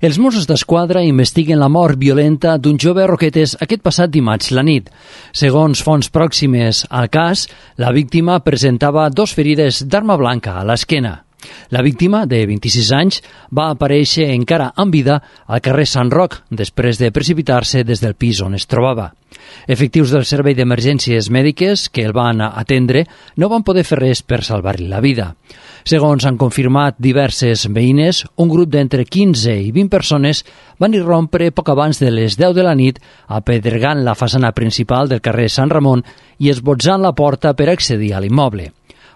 Els Mossos d'Esquadra investiguen la mort violenta d'un jove a Roquetes aquest passat dimarts la nit. Segons fonts pròximes al cas, la víctima presentava 2 ferides d'arma blanca a l'esquena. La víctima, de 26 anys, va aparèixer encara amb vida al carrer Sant Roc, després de precipitar-se des del pis on es trobava. Efectius del Servei d'Emergències Mèdiques que el van atendre no van poder fer res per salvar-li la vida. Segons han confirmat diverses veïnes, un grup d'entre 15 i 20 persones van irrompre poc abans de les 10 de la nit, apedregant la façana principal del carrer Sant Ramon i esbotzant la porta per accedir a l'immoble.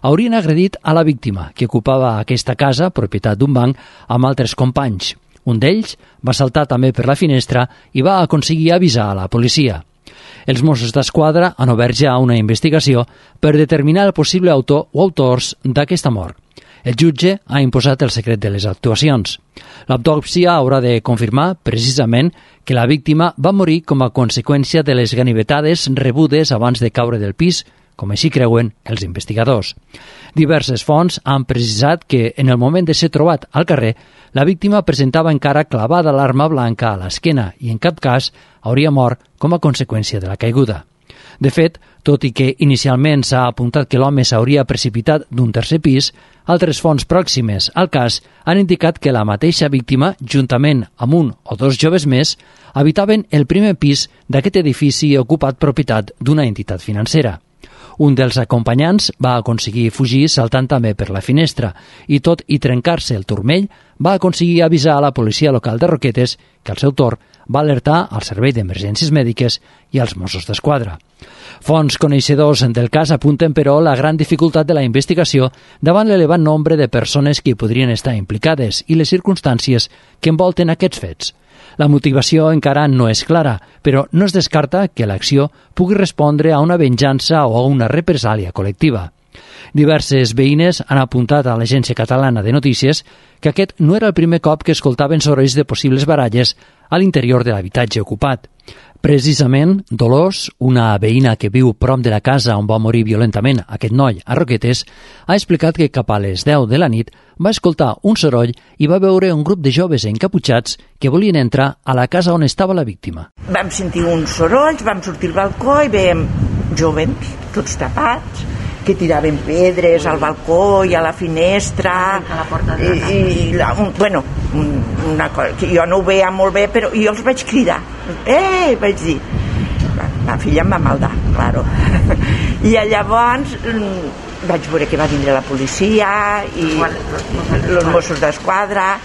Haurien agredit a la víctima, que ocupava aquesta casa, propietat d'un banc, amb altres companys. Un d'ells va saltar també per la finestra i va aconseguir avisar a la policia. Els Mossos d'Esquadra han obert ja una investigació per determinar el possible autor o autors d'aquesta mort. El jutge ha imposat el secret de les actuacions. L'autòpsia haurà de confirmar, precisament, que la víctima va morir com a conseqüència de les ganivetades rebudes abans de caure del pis, com així creuen els investigadors. Diverses fonts han precisat que, en el moment de ser trobat al carrer, la víctima presentava encara clavada l'arma blanca a l'esquena i, en cap cas, hauria mort com a conseqüència de la caiguda. De fet, tot i que inicialment s'ha apuntat que l'home s'hauria precipitat d'un tercer pis, altres fonts pròximes al cas han indicat que la mateixa víctima, juntament amb un o 2 joves més, habitaven el primer pis d'aquest edifici ocupat propietat d'una entitat financera. Un dels acompanyants va aconseguir fugir saltant també per la finestra i, tot i trencar-se el turmell, va aconseguir avisar a la policia local de Roquetes que, al seu torn, va alertar al Servei d'Emergències Mèdiques i als Mossos d'Esquadra. Fonts coneixedors del cas apunten, però, la gran dificultat de la investigació davant l'elevat nombre de persones que hi podrien estar implicades i les circumstàncies que envolten aquests fets. La motivació encara no és clara, però no es descarta que l'acció pugui respondre a una venjança o a una represàlia col·lectiva. Diverses veïnes han apuntat a l'Agència Catalana de Notícies que aquest no era el primer cop que escoltaven sorolls de possibles baralles a l'interior de l'habitatge ocupat. Precisament, Dolors, una veïna que viu prop de la casa on va morir violentament aquest noi a Roquetes, ha explicat que cap a les 10 de la nit va escoltar un soroll i va veure un grup de joves encaputxats que volien entrar a la casa on estava la víctima. Vam sentir uns sorolls, vam sortir al balcó i veiem jovens, tots tapats, que tiraven pedres al balcó i a la finestra una cosa que jo no ho veia molt bé, però jo els vaig cridar, vaig dir, la filla em va maldar, claro. I llavors vaig veure que va vindre la policia i els Mossos d'Esquadra,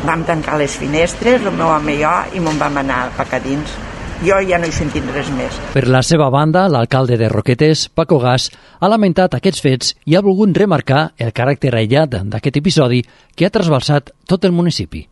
vam tancar les finestres, el meu home i jo, i me'n vam anar cap a dins. Jo ja no he sentit res més. Per la seva banda, l'alcalde de Roquetes, Paco Gas, ha lamentat aquests fets i ha volgut remarcar el caràcter aïllat d'aquest episodi que ha trasbalsat tot el municipi.